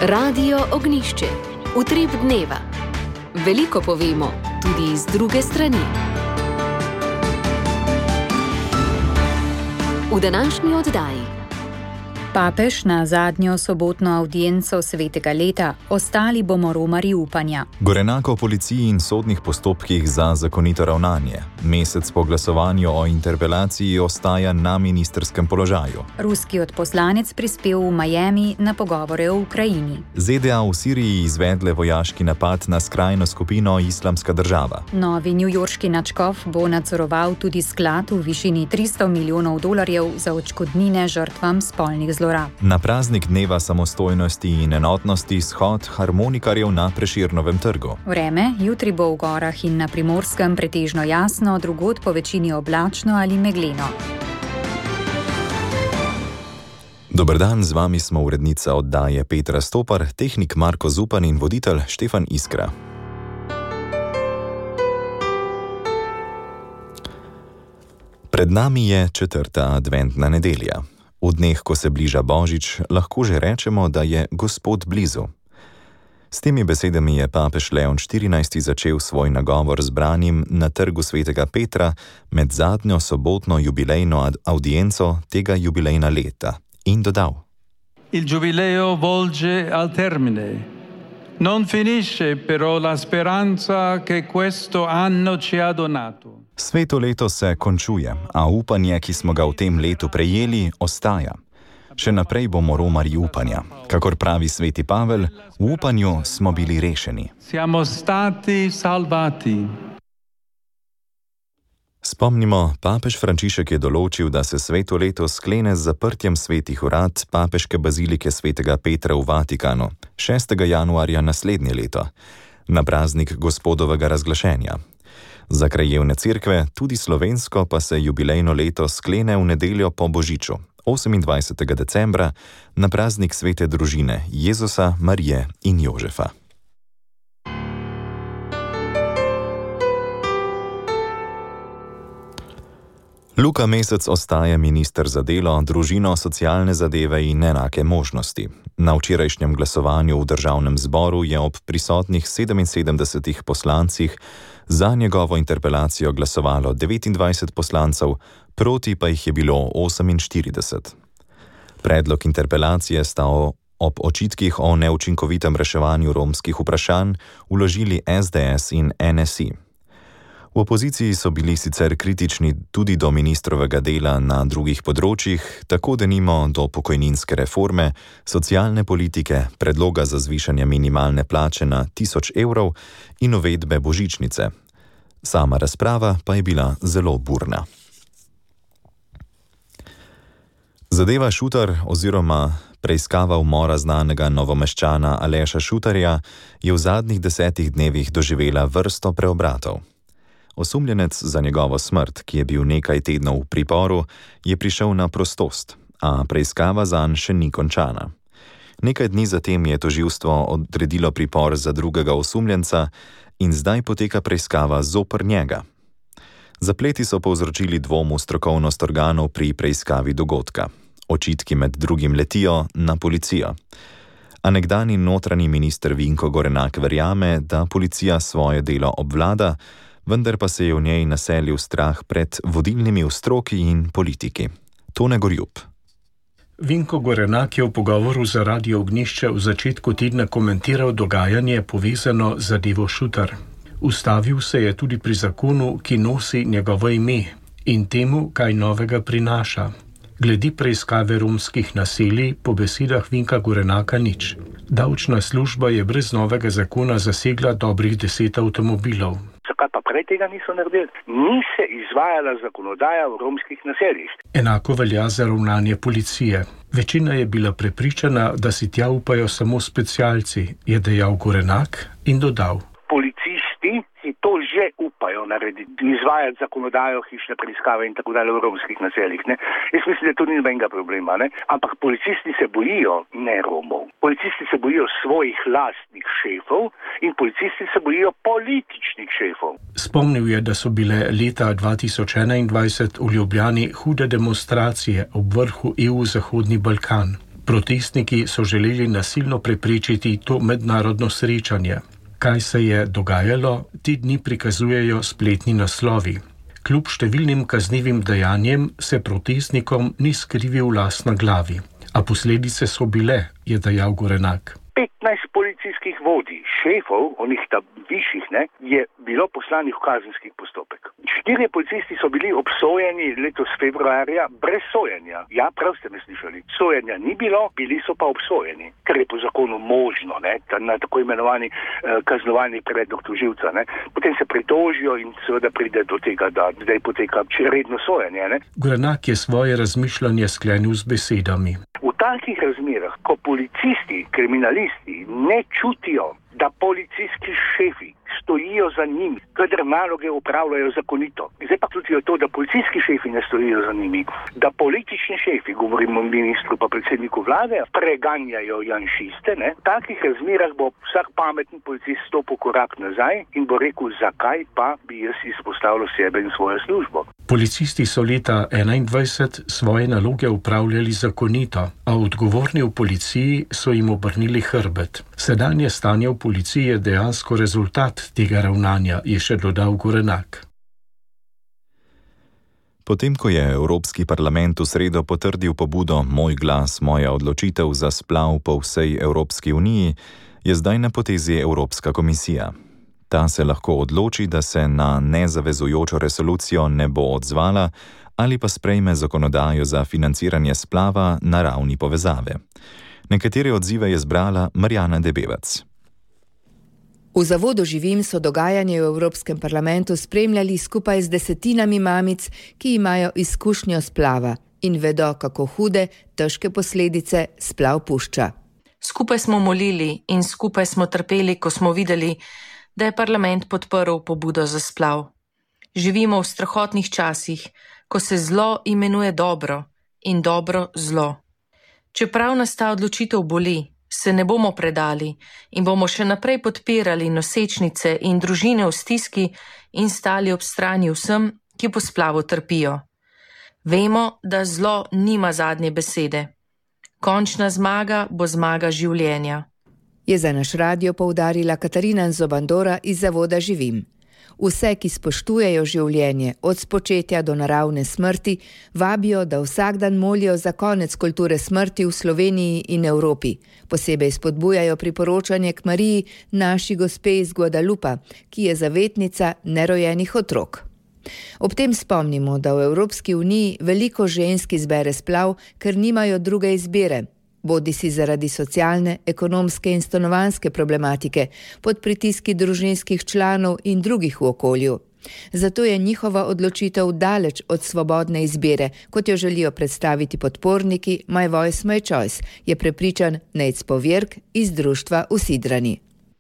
Radio Ognjišče. Utrip dneva. Veliko povemo, tudi iz druge strani. V današnji oddaji. Papež na zadnjo sobotno avdienco svetega leta, ostali bomo romarji upanja. Gorenak o policiji in sodnih postopkih za zakonito ravnanje. Mesec po glasovanju o interpelaciji ostaja na ministrskem položaju. Ruski odposlanec prispel v Miami na pogovore o Ukrajini. ZDA v Siriji izvedle vojaški napad na skrajno skupino Islamska država. Novi newyorški nadškof bo nadzoroval tudi sklad v višini $300 milijonov za odškodnine žrtvam spolnih zlorab. Na praznik dneva samostojnosti in enotnosti shod harmonikarjev na Prešernovem trgu. Vreme, jutri bo v gorah in na Primorskem pretežno jasno, drugod po večini oblačno ali megleno. Dober dan, z vami smo urednica oddaje Petra Stopar, tehnik Marko Zupan in voditelj Štefan Iskra. Pred nami je 4. adventna nedelja. V dneh, ko se bliža Božič, lahko že rečemo, da je Gospod blizu. S temi besedami je papež Leon XIV. Začel svoj nagovor zbranim na trgu svetega Petra med zadnjo sobotno jubilejno audienco tega jubilejna leta in dodal: Il giubileo volge al termine. Non finisce però la speranza che questo anno ci ha donato. Sveto leto se končuje, a upanje, ki smo ga v tem letu prejeli, ostaja. Še naprej bomo romarji upanja. Kakor pravi sveti Pavel, v upanju smo bili rešeni. Siamo stati salvati. Spomnimo, papež Frančišek je določil, da se sveto leto sklene z zaprtjem svetih urad papeške bazilike svetega Petra v Vatikanu 6. januarja naslednje leto, na praznik Gospodovega razglašenja. Za krajevne cerkve, tudi slovensko, pa se jubilejno leto sklene v nedeljo po Božiču, 28. decembra, na praznik svete družine Jezusa, Marije in Jožefa. Luka Mesec ostaja minister za delo, družino, socialne zadeve in enake možnosti. Na včerajšnjem glasovanju v državnem zboru je ob prisotnih 77 poslancih za njegovo interpelacijo glasovalo 29 poslancev, proti pa jih je bilo 48. Predlog interpelacije sta ob očitkih o neučinkovitem reševanju romskih vprašanj vložili SDS in NSI. V opoziciji so bili sicer kritični tudi do ministrovega dela na drugih področjih, tako denimo do pokojninske reforme, socialne politike, predloga za zvišanje minimalne plače na 1000 evrov in uvedbe božičnice. Sama razprava pa je bila zelo burna. Zadeva Šutar oziroma preiskava umora znanega Novomeščana Aleša Šutarja je v zadnjih 10 dnevih doživela vrsto preobratov. Osumljenec za njegovo smrt, ki je bil nekaj tednov v priporu, je prišel na prostost, a preiskava zanj še ni končana. Nekaj dni zatem je tožilstvo odredilo pripor za drugega osumljenca in zdaj poteka preiskava zoper njega. Zapleti so povzročili dvom v strokovnost organov pri preiskavi dogodka. Očitki med drugim letijo na policijo. A nekdanji notranji minister Vinko Gorenak verjame, da policija svoje delo obvlada, vendar pa se je v njej naselil strah pred vodilnimi v stroki in politiki. Tone Gorjup. Vinko Gorenak je v pogovoru za Radio Ognjišče v začetku tedna komentiral dogajanje povezano z zadevo Šutar. Ustavil se je tudi pri zakonu, ki nosi njegovo ime in temu, kaj novega prinaša. Glede preiskave romskih naselij po besedah Vinka Gorenaka nič. Davčna služba je brez novega zakona zasegla dobrih 10 avtomobilov. Zakaj pa prej tega niso naredili? Ni se izvajala zakonodaja v romskih naseljih. Enako velja za ravnanje policije. Večina je bila prepričana, da si tja upajo samo specialci, je dejal Gorenak in dodal: Policisti si to že upajo narediti, izvajati zakonodajo, hišne preiskave in tako dalje v romskih naseljih. Ne? Jaz mislim, da to ni nobenega problema, ne? Ampak policisti se bojijo ne Romov. Policisti se bojijo svojih lastnih šefov in policisti se bojijo političnih šefov. Spomnil je, da so bile leta 2021 v Ljubljani hude demonstracije ob vrhu EU Zahodni Balkan. Protestniki so želeli nasilno preprečiti to mednarodno srečanje. Kaj se je dogajalo, ti dni prikazujejo spletni naslovi. Kljub številnim kaznivim dejanjem se protestnikom ni skrivil las na glavi. A posledice so bile, je dejal Gorenak. 15 policijskih vodij, šefov, onih tam višjih, je bilo poslanih v kazenski postopek. 4 policisti so bili obsojeni letos februarja brez sojenja. Ja, prav ste me slišali. Sojenja ni bilo, bili so pa obsojeni, ker je po zakonu možno, na tako imenovani kaznovalni predlog tožilca. Potem se pritožijo in seveda pride do tega, da zdaj poteka redno sojenje. Gorenak je svoje razmišljanje sklenil z besedami. V takih razmerah, ko policisti, kriminalisti ne čutijo, da policijski šefi stojijo za njimi, kadar naloge upravljajo zakonito. Zdaj pa čutijo to, da policijski šefi ne stojijo za njimi, da politični šefi, govorimo o ministru pa predsedniku vlade, preganjajo janšiste. V takih razmerah bo vsak pameten policist stopil korak nazaj in bo rekel, zakaj pa bi jaz izpostavljal sebe in svojo službo. Policisti so leta 2021 svoje naloge upravljali zakonito, a odgovorni v policiji so jim obrnili hrbet. Sedanje stanje v policiji je dejansko rezultat tega ravnanja, je še dodal Gorenak. Potem, ko je Evropski parlament v sredo potrdil pobudo Moj glas, moja odločitev za splav po vsej Evropski uniji, je zdaj na potezi Evropska komisija. Ta se lahko odloči, da se na nezavezujočo resolucijo ne bo odzvala ali pa sprejme zakonodajo za financiranje splava na ravni povezave. Nekatere odzive je zbrala Marjana Debevac. V Zavodu Živim so dogajanje v Evropskem parlamentu spremljali skupaj z desetinami mamic, ki imajo izkušnjo splava in vedo, kako hude, težke posledice splav pušča. Skupaj smo molili in skupaj smo trpeli, ko smo videli, da je parlament podprl pobudo za splav. Živimo v strahotnih časih, ko se zlo imenuje dobro in dobro zlo. Čeprav nas ta odločitev boli, se ne bomo predali in bomo še naprej podpirali nosečnice in družine v stiski in stali ob strani vsem, ki po splavu trpijo. Vemo, da zlo nima zadnje besede. Končna zmaga bo zmaga življenja. Je za naš radio poudarila Katarina Zobandora iz Zavoda Živim. Vse, ki spoštujejo življenje od spočetja do naravne smrti, vabijo, da vsak dan molijo za konec kulture smrti v Sloveniji in Evropi. Posebej spodbujajo priporočanje k Mariji, naši gospe iz Guadalupa, ki je zavetnica nerojenih otrok. Ob tem spomnimo, da v Evropski uniji veliko žensk izbere splav, ker nimajo druge izbire. Bodisi zaradi socialne, ekonomske in stanovanjske problematike, pod pritiski družinskih članov in drugih v okolju. Zato je njihova odločitev daleč od svobodne izbire, kot jo želijo predstaviti podporniki My Voice, My Choice, je prepričan Nejc Povjerk iz društva Usidrani.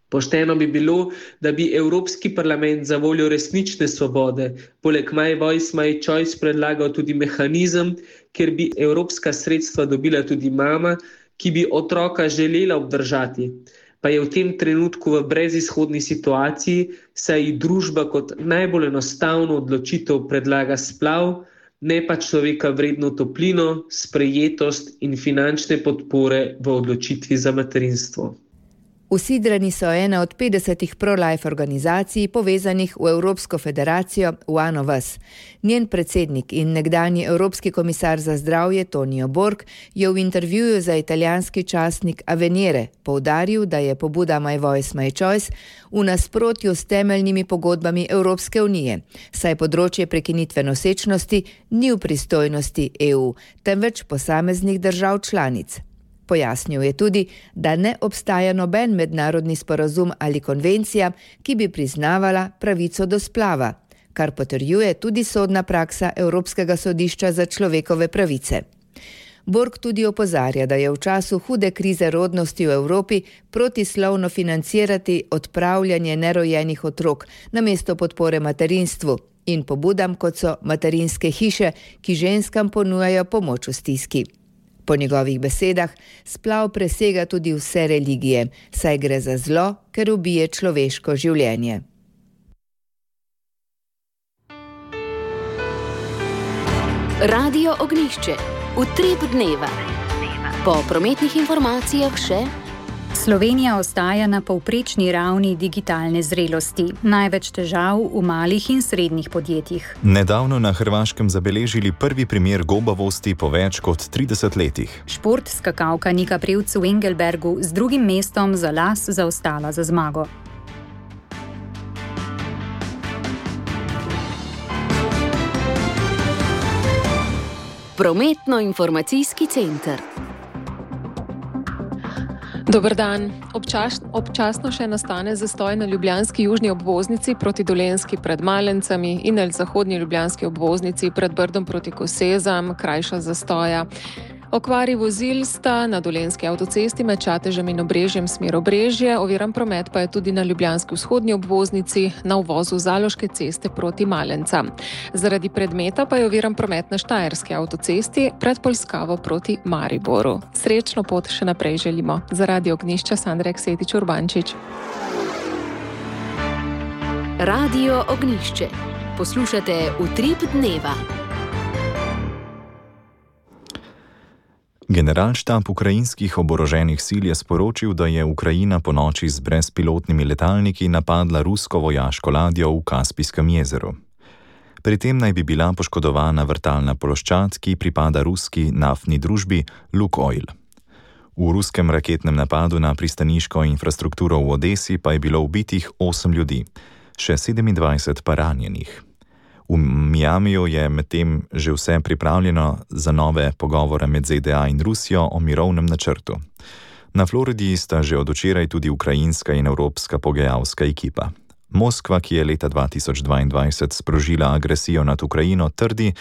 Pošteno bi bilo, da bi Evropski parlament za voljo resnične svobode poleg My Voice, My Choice predlagal tudi mehanizem, kjer bi evropska sredstva dobila tudi mama, ki bi otroka želela obdržati, pa je v tem trenutku v brezizhodni situaciji, saj ji družba kot najbolj enostavno odločitev predlaga splav, ne pa človeka vredno toplino, sprejetost in finančne podpore v odločitvi za materinstvo. Usidrani so ena od 50 pro-life organizacij povezanih v Evropsko federacijo One of Us. Njen predsednik in nekdanji evropski komisar za zdravje Tonio Borg je v intervjuju za italijanski časnik Avvenire poudaril, da je pobuda My Voice, My Choice v nasprotju s temeljnimi pogodbami Evropske unije, saj področje prekinitve nosečnosti ni v pristojnosti EU, temveč posameznih držav članic. Pojasnil je tudi, da ne obstaja noben mednarodni sporazum ali konvencija, ki bi priznavala pravico do splava, kar potrjuje tudi sodna praksa Evropskega sodišča za človekove pravice. Borg tudi opozarja, da je v času hude krize rodnosti v Evropi protislovno financirati odpravljanje nerojenih otrok namesto podpore materinstvu in pobudam, kot so materinske hiše, ki ženskam ponujajo pomoč v stiski. Po njegovih besedah, splav presega tudi vse religije, saj gre za zlo, ker ubije človeško življenje. Radio Ognjišče. Utrip dneva. Po prometnih informacijah še: Slovenija ostaja na povprečni ravni digitalne zrelosti. Največ težav v malih in srednjih podjetjih. Nedavno na Hrvaškem zabeležili prvi primer gobavosti po več kot 30 letih. Šport skakalka Nika Prevc v Engelbergu z drugim mestom za las zaostala za zmago. Prometno-informacijski center. Dober dan. Občasno še nastane zastoj na ljubljanski južni obvoznici proti Dolenjski pred Malencami in na zahodni ljubljanski obvoznici pred Brdom proti Kosezam, krajša zastoja. Okvari vozil sta na Dolenjski avtocesti med Čatežem in Obrežjem smer Obrežje, oviran promet pa je tudi na ljubljanski vzhodni obvoznici na uvozu Zaloške ceste proti Malencam. Zaradi predmeta pa je oviran promet na Štajerski avtocesti pred Polskavo proti Mariboru. Srečno pot še naprej želimo. Za Radio Ognjišče Sandra Eksetič Urbančič. Radio Ognjišče. Poslušate Utrip dneva. Generalštab ukrajinskih oboroženih sil je sporočil, da je Ukrajina ponoči z brezpilotnimi letalniki napadla rusko vojaško ladjo v Kaspijskem jezeru. Pri tem naj bi bila poškodovana vrtalna ploščad, ki pripada ruski naftni družbi Lukoil. V ruskem raketnem napadu na pristaniško infrastrukturo v Odesi pa je bilo ubitih 8 ljudi, še 27 pa ranjenih. V Miamiju je medtem že vse pripravljeno za nove pogovore med ZDA in Rusijo o mirovnem načrtu. Na Floridi sta že od včeraj tudi ukrajinska in evropska pogajalska ekipa. Moskva, ki je leta 2022 sprožila agresijo nad Ukrajino, trdi,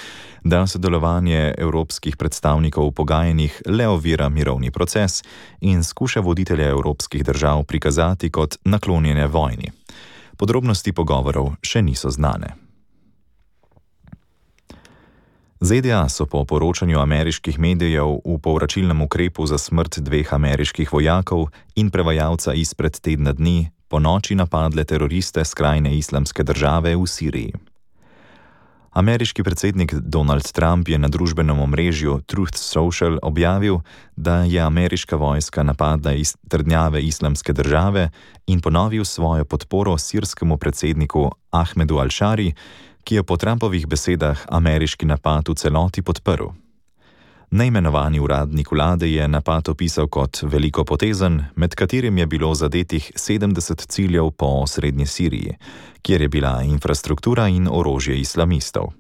da sodelovanje evropskih predstavnikov v pogajanjih le ovira mirovni proces in skuša voditelje evropskih držav prikazati kot naklonjene vojni. Podrobnosti pogovorov še niso znane. ZDA so po poročanju ameriških medijev v povračilnem ukrepu za smrt 2 ameriških vojakov in prevajalca izpred tedna dni po noči napadle teroriste skrajne islamske države v Siriji. Ameriški predsednik Donald Trump je na družbenem omrežju Truth Social objavil, da je ameriška vojska napadla trdnjave islamske države in ponovil svojo podporo sirskemu predsedniku Ahmedu al-Šari, ki je po Trumpovih besedah ameriški napad v celoti podprl. Neimenovani uradnik vlade je napad opisal kot velikopotezen, med katerim je bilo zadetih 70 ciljev po osrednji Siriji, kjer je bila infrastruktura in orožje islamistov.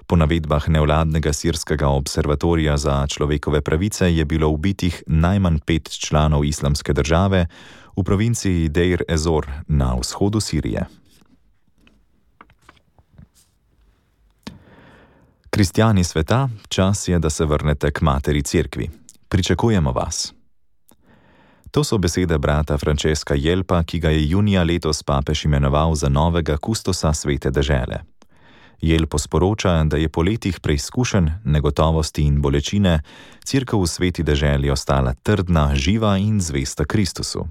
Po navedbah nevladnega sirskega observatorija za človekove pravice je bilo ubitih najmanj 5 članov islamske države v provinciji Deir ez-Zor na vzhodu Sirije. Kristjani sveta, čas je, da se vrnete k materi cerkvi. Pričakujemo vas. To so besede brata Francesca Jelpa, ki ga je junija letos papež imenoval za novega kustosa svete dežele. Jelpo sporoča, da je po letih preizkušenj, negotovosti in bolečine cerkev v sveti deželi ostala trdna, živa in zvesta Kristusu.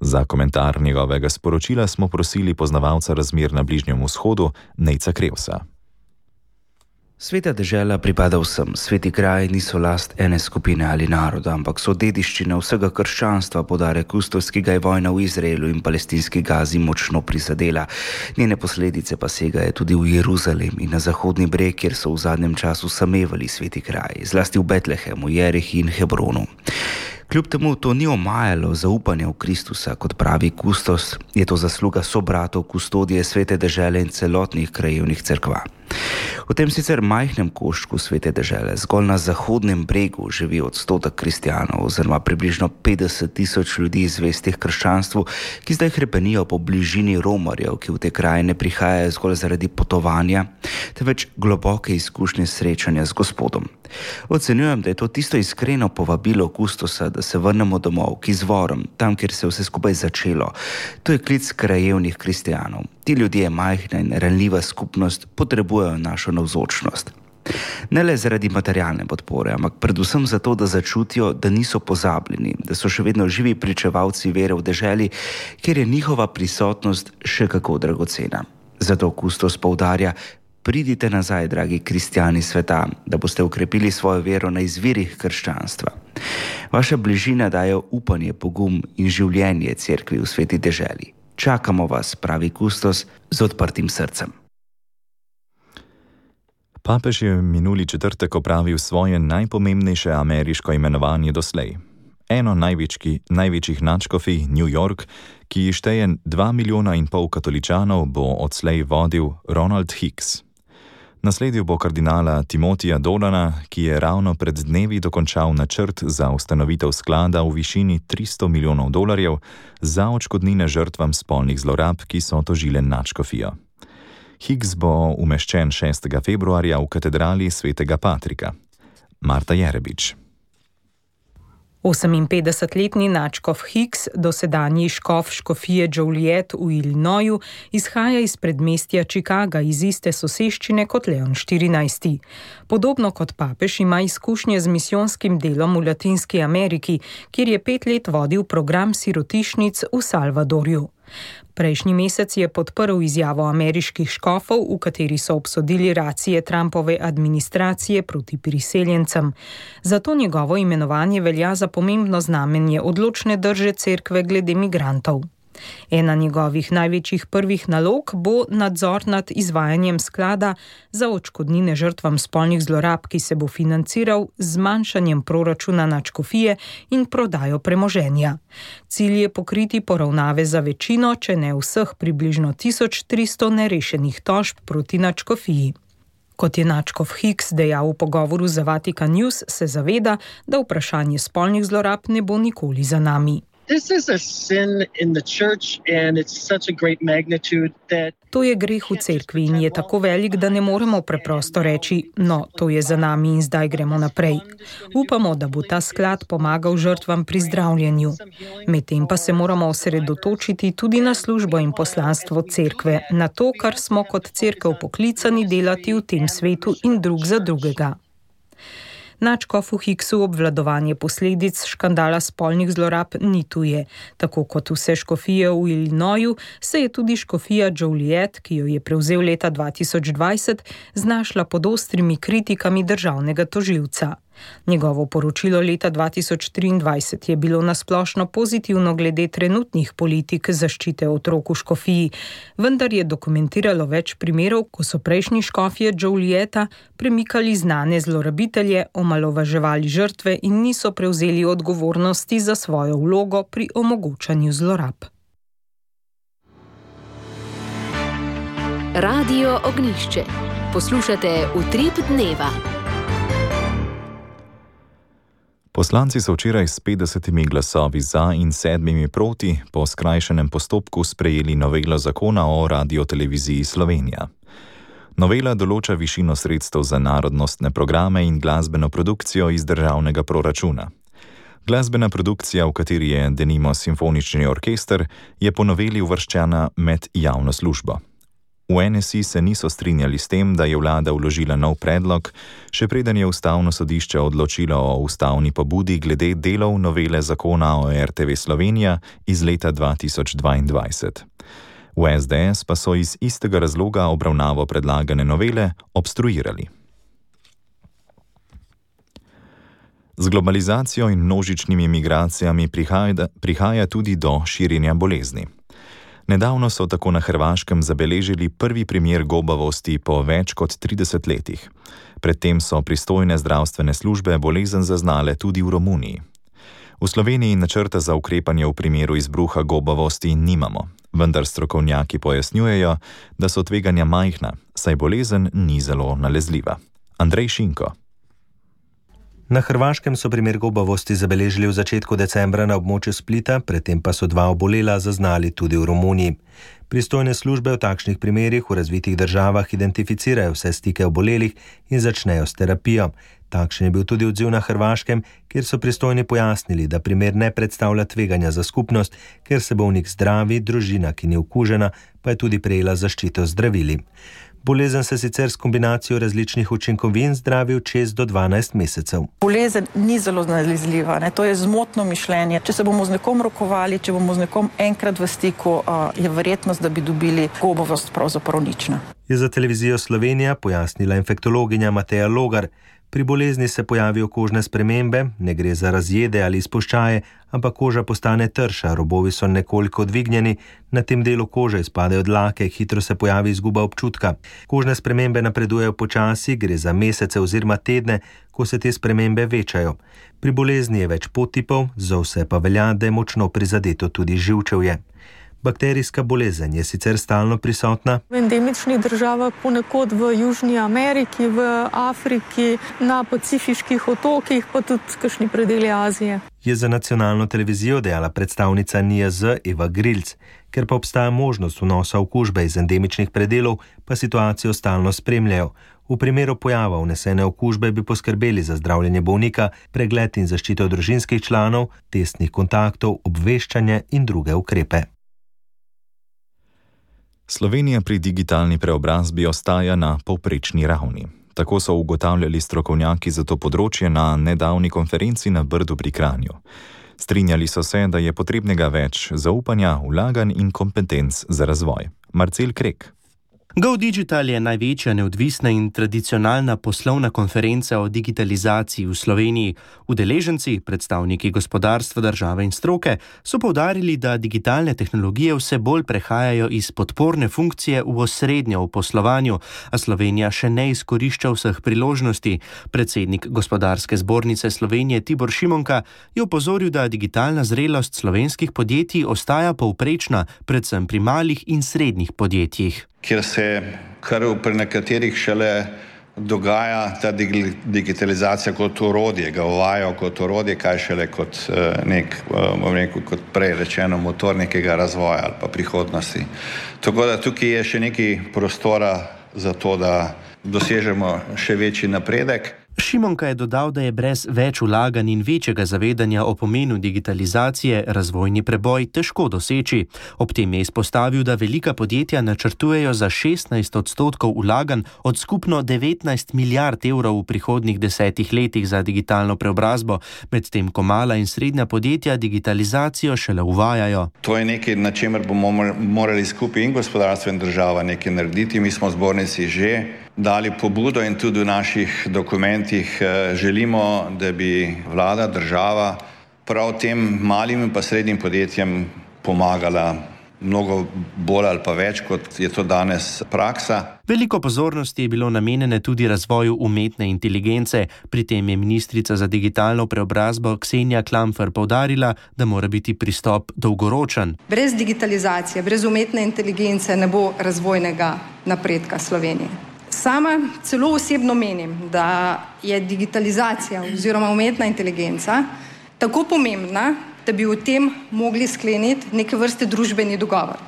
Za komentar njegovega sporočila smo prosili poznavalca razmer na Bližnjem vzhodu, Nejca Krevsa. Sveta dežela pripada vsem. Sveti kraji niso last ene skupine ali naroda, ampak so dediščina vsega krščanstva, poudarja kustos, ki ga je vojna v Izraelu in palestinski Gazi močno prizadela. Njene posledice pa segajo tudi v Jeruzalem in na Zahodni breg, kjer so v zadnjem času samevali sveti kraji, zlasti v Betlehemu, Jerihi in Hebronu. Kljub temu to ni omajalo zaupanja v Kristusa, kot pravi kustos, je to zasluga sobratov kustodije svete dežele in celotnih krajevnih cerkva. V tem sicer majhnem koščku svete dežele, zgolj na Zahodnem bregu, živi odstotek kristjanov oziroma približno 50 000 ljudi zvestih krščanstvu, ki zdaj hrepenijo po bližini romarjev, ki v te kraje ne prihajajo zgolj zaradi potovanja, temveč globoke izkušnje srečanja z Gospodom. Ocenjujem, da je to tisto iskreno povabilo kustosa, da se vrnemo domov k izvorom, tam, kjer se je vse skupaj začelo. To je klic krajevnih kristjanov. Ti ljudje, majhna in ranljiva skupnost, potrebujejo našo navzočnost. Ne le zaradi materialne podpore, ampak predvsem zato, da začutijo, da niso pozabljeni, da so še vedno živi pričevalci vere v deželi, kjer je njihova prisotnost še kako dragocena. Zato kustos poudarja: pridite nazaj, dragi kristjani sveta, da boste ukrepili svojo vero na izvirih krščanstva. Vaša bližina daje upanje, pogum in življenje cerkvi v Sveti deželi. Čakamo vas, pravi kustos, z odprtim srcem. Papež je minuli četrtek opravil svoje najpomembnejše ameriško imenovanje doslej. Eno največjih nadškofij, New York, ki šteje 2,5 milijona katoličanov, bo odslej vodil Ronald Hicks. Nasledil bo kardinala Timotija Dolana, ki je ravno pred dnevi dokončal načrt za ustanovitev sklada v višini $300 milijonov za odškodnine žrtvam spolnih zlorab, ki so tožile nadškofijo. Hicks bo umeščen 6. februarja v katedrali svetega Patrika. Marta Jerebič. 58-letni nadškof Hicks, dosedanji škof škofije Joliet v Illinoisu, izhaja iz predmestja Chicaga, iz iste soseščine kot Leon XIV. Podobno kot papež ima izkušnje z misijonskim delom v Latinski Ameriki, kjer je 5 let vodil program sirotišnic v Salvadorju. Prejšnji mesec je podprl izjavo ameriških škofov, v kateri so obsodili racije Trumpove administracije proti priseljencem. Zato njegovo imenovanje velja za pomembno znamenje odločne drže cerkve glede migrantov. Ena njegovih največjih prvih nalog bo nadzor nad izvajanjem sklada za odškodnine žrtvam spolnih zlorab, ki se bo financiral z zmanjšanjem proračuna nadškofije in prodajo premoženja. Cilj je pokriti poravnave za večino, če ne vseh približno 1300 nerešenih tožb proti nadškofiji. Kot je nadškof Hicks dejal v pogovoru za Vatican News, se zaveda, da vprašanje spolnih zlorab ne bo nikoli za nami. To je greh v cerkvi in je tako velik, da ne moremo preprosto reči, no, to je za nami in zdaj gremo naprej. Upamo, da bo ta sklad pomagal žrtvam pri zdravljenju. Medtem pa se moramo osredotočiti tudi na službo in poslanstvo cerkve, na to, kar smo kot cerkev poklicani delati v tem svetu in drug za drugega. Nadškofu Hicksu obvladovanje posledic škandala spolnih zlorab ni tuje. Tako kot vse škofije v Illinoisu, se je tudi škofija Joliet, ki jo je prevzel leta 2020, znašla pod ostrimi kritikami državnega tožilca. Njegovo poročilo leta 2023 je bilo nasplošno pozitivno glede trenutnih politik zaščite otrok v škofiji, vendar je dokumentiralo več primerov, ko so prejšnji škofje Jolieta premikali znane zlorabitelje, omalovaževali žrtve in niso prevzeli odgovornosti za svojo vlogo pri omogočanju zlorab. Radio Ognjišče. Poslušate Utrip dneva. Poslanci so včeraj s 50 glasovi za in 7 proti po skrajšanem postopku sprejeli novelo zakona o Radioteleviziji Slovenija. Novela določa višino sredstev za narodnostne programe in glasbeno produkcijo iz državnega proračuna. Glasbena produkcija, v kateri je denimo simfonični orkester, je po noveli uvrščena med javno službo. V NSI se niso strinjali s tem, da je vlada vložila nov predlog, še preden je Ustavno sodišče odločilo o ustavni pobudi glede delov novele zakona o RTV Slovenija iz leta 2022. V SDS pa so iz istega razloga obravnavo predlagane novele obstruirali. Z globalizacijo in množičnimi migracijami prihaja tudi do širjenja bolezni. Nedavno so tako na Hrvaškem zabeležili prvi primer gobavosti po več kot 30 letih. Predtem so pristojne zdravstvene službe bolezen zaznale tudi v Romuniji. V Sloveniji načrta za ukrepanje v primeru izbruha gobavosti nimamo, vendar strokovnjaki pojasnjujejo, da so tveganja majhna, saj bolezen ni zelo nalezljiva. Andrej Šinko. Na Hrvaškem so primer gobavosti zabeležili v začetku decembra na območju Splita, predtem pa so 2 obolela zaznali tudi v Romuniji. Pristojne službe v takšnih primerih v razvitih državah identificirajo vse stike obolelih in začnejo s terapijo. Takšen je bil tudi odziv na Hrvaškem, kjer so pristojni pojasnili, da primer ne predstavlja tveganja za skupnost, ker se bolnik zdravi, družina, ki ni okužena, pa je tudi prejela zaščito z zdravili. Bolezen se sicer s kombinacijo različnih učinkovin zdravi v 6 do 12 mesecev. Bolezen ni zelo nalezljiva, to je zmotno mišljenje. Če se bomo z nekom rokovali, če bomo z nekom enkrat v stiku, je verjetnost, da bi dobili gobavost pravzaprav nična. Je za televizijo Slovenija pojasnila infektologinja Mateja Logar. Pri bolezni se pojavijo kožne spremembe, ne gre za razjede ali izpuščaje, ampak koža postane trša, robovi so nekoliko dvignjeni, na tem delu kože izpadejo dlake, hitro se pojavi izguba občutka. Kožne spremembe napredujejo počasi, gre za mesece oziroma tedne, ko se te spremembe večajo. Pri bolezni je več podtipov, za vse pa velja, da je močno prizadeto tudi živčevje. Bakterijska bolezen je sicer stalno prisotna. V endemičnih državah, ponekod v Južni Ameriki, v Afriki, na pacifiških otokih, pa tudi kakšni predeli Azije. Je za nacionalno televizijo dejala predstavnica NIJZ Eva Grilc. Ker pa obstaja možnost vnosa okužbe iz endemičnih predelov, pa situacijo stalno spremljajo. V primeru pojava vnesene okužbe bi poskrbeli za zdravljenje bolnika, pregled in zaščito družinskih članov, testnih kontaktov, obveščanje in druge ukrepe. Slovenija pri digitalni preobrazbi ostaja na povprečni ravni. Tako so ugotavljali strokovnjaki za to področje na nedavni konferenci na Brdu pri Kranju. Strinjali so se, da je potrebnega več zaupanja, vlaganj in kompetenc za razvoj. Marcel Krek. GoDigital je največja neodvisna in tradicionalna poslovna konferenca o digitalizaciji v Sloveniji. Udeleženci, predstavniki gospodarstva, države in stroke, so poudarili, da digitalne tehnologije vse bolj prehajajo iz podporne funkcije v osrednjo v poslovanju, a Slovenija še ne izkorišča vseh priložnosti. Predsednik Gospodarske zbornice Slovenije Tibor Šimonka je opozoril, da digitalna zrelost slovenskih podjetij ostaja povprečna, predvsem pri malih in srednjih podjetjih. Kjer se kar pri nekaterih šele dogaja ta digitalizacija kot orodje, ga uvajajo kot orodje, kaj šele kot kot prej rečeno motor nekega razvoja ali pa prihodnosti. Tako da tukaj je še nekaj prostora za to, da dosežemo še večji napredek. Šimonka je dodal, da je brez več vlaganj in večjega zavedanja o pomenu digitalizacije razvojni preboj težko doseči. Ob tem je izpostavil, da velika podjetja načrtujejo za 16% vlaganj od skupno 19 milijard evrov v prihodnjih 10 letih za digitalno preobrazbo, medtem ko mala in srednja podjetja digitalizacijo šele uvajajo. To je nekaj, na čemer bomo morali skupaj in gospodarstvo in država nekaj narediti. Mi smo v zbornici že dali pobudo in tudi v naših dokumentih želimo, da bi vlada, država prav tem malim in pa srednjim podjetjem pomagala mnogo bolj ali pa več, kot je to danes praksa. Veliko pozornosti je bilo namenjene tudi razvoju umetne inteligence. Pri tem je ministrica za digitalno preobrazbo Ksenija Klampfer poudarila, da mora biti pristop dolgoročen. Brez digitalizacije, brez umetne inteligence ne bo razvojnega napredka Slovenije. Sama celo osebno menim, da je digitalizacija oziroma umetna inteligenca tako pomembna, da bi o tem mogli skleniti neke vrste družbeni dogovor.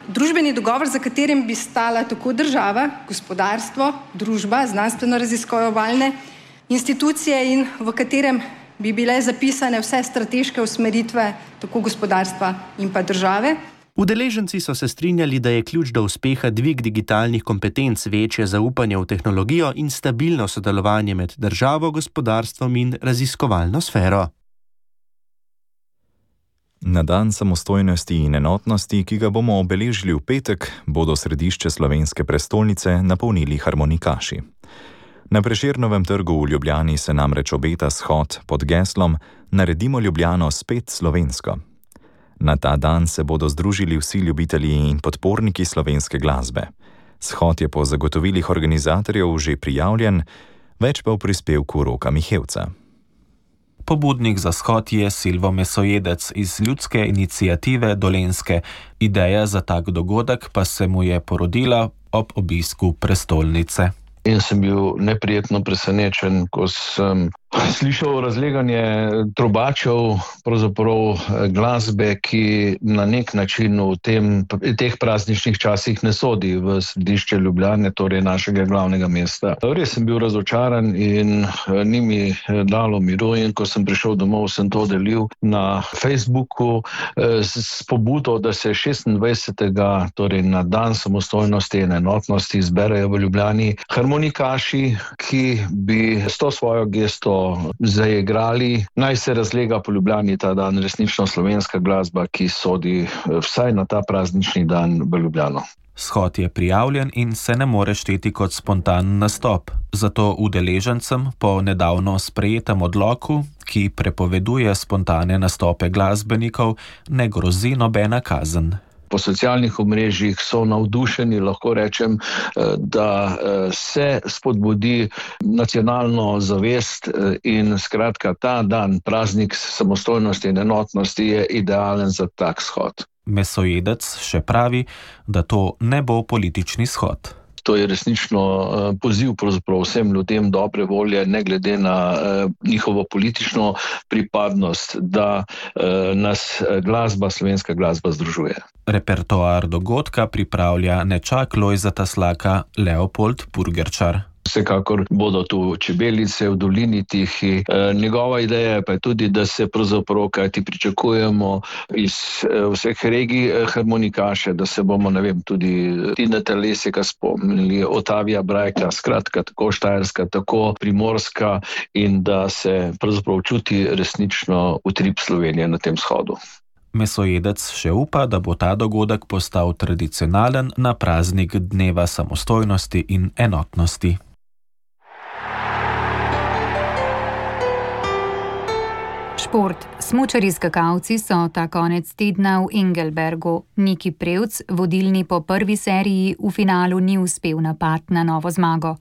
Družbeni dogovor, za katerim bi stala tako država, gospodarstvo, družba, znanstveno-raziskovalne institucije in v katerem bi bile zapisane vse strateške usmeritve tako gospodarstva in pa države. Udeleženci so se strinjali, da je ključ do uspeha dvig digitalnih kompetenc, večje zaupanje v tehnologijo in stabilno sodelovanje med državo, gospodarstvom in raziskovalno sfero. Na dan samostojnosti in enotnosti, ki ga bomo obeležili v petek, bodo središče slovenske prestolnice napolnili harmonikaši. Na Prešernovem trgu v Ljubljani se namreč obeta shod pod geslom Naredimo Ljubljano spet slovensko. Na ta dan se bodo združili vsi ljubitelji in podporniki slovenske glasbe. Shod je po zagotovilih organizatorjev že prijavljen, več pa v prispevku Roka Mihevca. Pobudnik za shod je Silvo Mesojedec iz ljudske iniciative Dolenjske. Ideja za tak dogodek pa se mu je porodila ob obisku prestolnice. In sem bil neprijetno presenečen, ko sem slišal razleganje trubačev, pravzaprav glasbe, ki na nek način v teh prazničnih časih ne sodi v središče Ljubljane, torej našega glavnega mesta. Res sem bil razočaran in ni mi dalo miru, in ko sem prišel domov, sem to delil na Facebooku s pobudo, da se 26. torej na dan samostojnosti in enotnosti zberejo v Ljubljani harmonikaši, ki bi s to svojo gesto zaigrali. Naj se razlega po Ljubljani ta dan resnično slovenska glasba, ki sodi vsaj na ta praznični dan v Ljubljano. Shod je prijavljen in se ne more šteti kot spontan nastop, zato udeležencem po nedavno sprejetem odloku, ki prepoveduje spontane nastope glasbenikov, ne grozi nobena kazen. Po socialnih omrežjih so navdušeni, lahko rečem, da se spodbudi nacionalno zavest in skratka ta dan, praznik samostojnosti in enotnosti je idealen za tak shod. Mesojedec še pravi, da to ne bo politični shod. To je resnično poziv pravzaprav vsem ljudem dobre volje, ne glede na njihovo politično pripadnost, da nas slovenska glasba združuje. Repertoar dogodka pripravlja nečak Lojzeta Slaka Leopold Purgerčar. Vsekakor bodo tu čebelice v dolini Tihi. Njegova ideja pa je tudi, da se pravzaprav, kajti pričakujemo iz vseh regij harmonikaše, da se bomo, tudi Tineta Leseka spomnili, Otavija Brajka, skratka tako Štajerska, tako Primorska in da se pravzaprav čuti resnično utrip Slovenije na tem shodu. Mesojedec še upa, da bo ta dogodek postal tradicionalen na praznik Dneva samostojnosti in enotnosti. Šport. Smučarji skakalci so ta konec tedna v Engelbergu. Niki Prevc, vodilni po prvi seriji, v finalu ni uspel napad na novo zmago.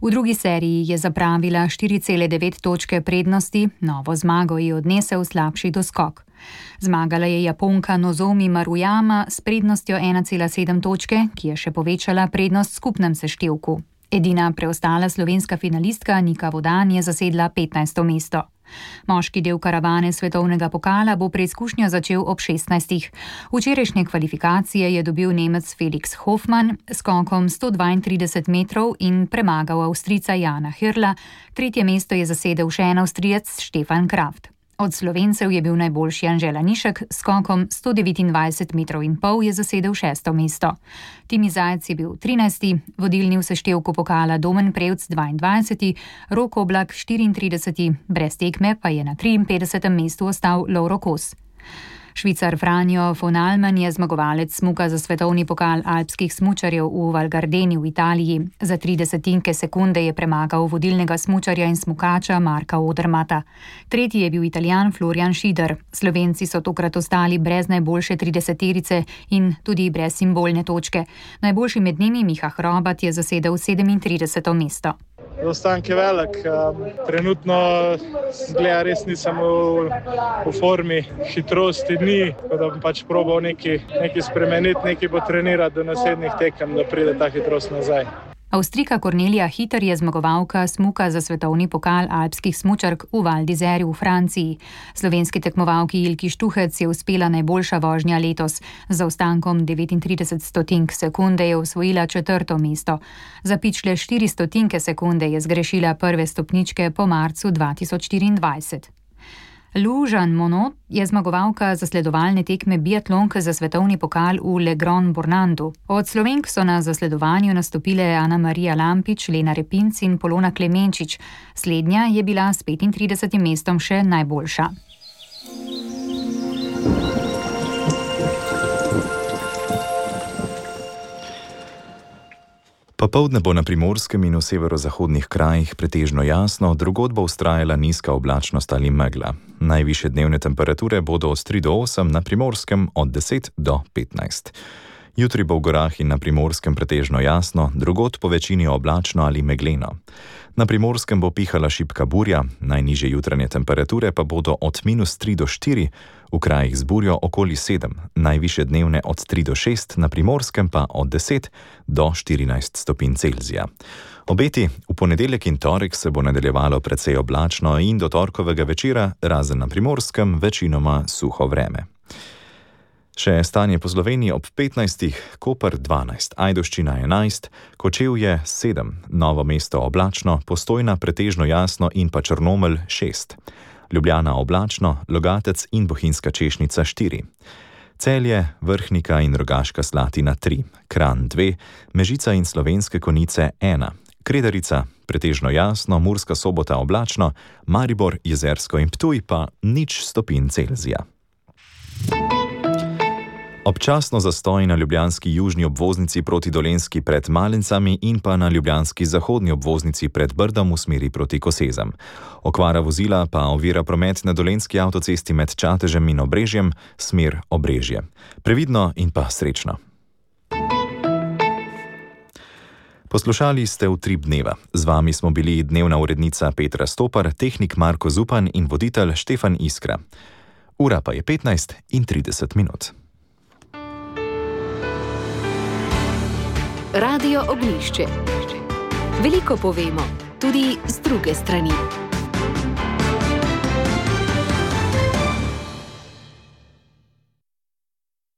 V drugi seriji je zapravila 4,9 točke prednosti, novo zmago je odnesel slabši doskok. Zmagala je Japonka Nozomi Maruyama s prednostjo 1,7 točke, ki je še povečala prednost v skupnem seštevku. Edina preostala slovenska finalistka Nika Vodan je zasedla 15. mesto. Moški del karavane svetovnega pokala bo preizkušnjo začel ob 16. Včerajšnje kvalifikacije je dobil Nemec Felix Hofmann s skokom 132 metrov in premagal Avstrijca Jana Hirla, tretje mesto je zasedel še en Avstrijec Stefan Kraft. Od Slovencev je bil najboljši Anže Lanišek s skokom 129 metrov in pol je zasedel 6. mesto. Timi Zajec je bil 13. vodilni v seštevku pokala Domen Prevc 22. Rok Oblak 34. brez tekme pa je na 53. mestu ostal Lovro Kos. Švicar Franjo von Allmann je zmagovalec smuka za svetovni pokal alpskih smučarjev v Val Gardeni v Italiji. Za 30 sekunde je premagal vodilnega smučarja in smukača Marka Odermata. Tretji je bil Italijan Florian Schieder. Slovenci so tokrat ostali brez najboljše 30-terice in tudi brez simbolne točke. Najboljši med njimi Miha Hrobat je zasedel 37. mesto. Zaostanek je velik, trenutno zgleda res nisem v formi, hitrosti ni, tako da bom probal nekaj spremeniti, nekaj potrenirati do naslednjih tekem, da pride ta hitrost nazaj. Avstrijka Kornelija Hiter je zmagovalka smuka za svetovni pokal alpskih smučark v Val d'Isère v Franciji. Slovenski tekmovalki Ilki Štuhec je uspela najboljša vožnja letos. Z zaostankom 39 sekunde je osvojila 4. mesto. Za pičle 4 sekunde je zgrešila prve stopničke po marcu 2024. Lou Jean Monod je zmagovalka zasledovalne tekme biatlonk za svetovni pokal v Le Grand Bornandu. Od Slovenk so na zasledovanju nastopile Ana Marija Lampič, Lena Repinc in Polona Klemenčič. Slednja je bila s 35. mestom še najboljša. Popoldne bo na Primorskem in v severozahodnih krajih pretežno jasno, drugod bo vztrajala nizka oblačnost ali megla. Najvišje dnevne temperature bodo od 3 do 8, na Primorskem od 10 do 15. Jutri bo v gorah in na Primorskem pretežno jasno, drugod po večini oblačno ali megleno. Na Primorskem bo pihala šibka burja, najnižje jutranje temperature pa bodo od -3 do 4, v krajih z burjo okoli 7, najvišje dnevne od 3 do 6, na Primorskem pa od 10 do 14 stopinj Celzija. Obeti v ponedeljek in torek se bo nadaljevalo precej oblačno in do torkovega večera, razen na Primorskem, večinoma suho vreme. Še stanje po Sloveniji ob 15, Koper 12, Ajdovščina 11, Kočevje 7, Novo mesto oblačno, Postojna pretežno jasno in pa Črnomelj 6. Ljubljana oblačno, Logatec in Bohinjska Češnica 4. Celje, Vrhnika in Rogaška Slatina 3, Kranj 2, Mežica in Slovenske Konjice 1, Kredarica pretežno jasno, Murska Sobota oblačno, Maribor, Jezersko in Ptuj pa 0 stopinj Celzija. Občasno zastoj na ljubljanski južni obvoznici proti Dolenjski pred Malencami in pa na ljubljanski zahodni obvoznici pred Brdom v smeri proti Kosezam. Okvara vozila pa ovira promet na dolenjski avtocesti med Čatežem in Obrežjem, smer Obrežje. Previdno in pa srečno. Poslušali ste Utrip dneva. Z vami smo bili dnevna urednica Petra Stopar, tehnik Marko Zupan in voditelj Štefan Iskra. Ura pa je 15:30. Radio Ognjišče. Veliko povemo, tudi z druge strani.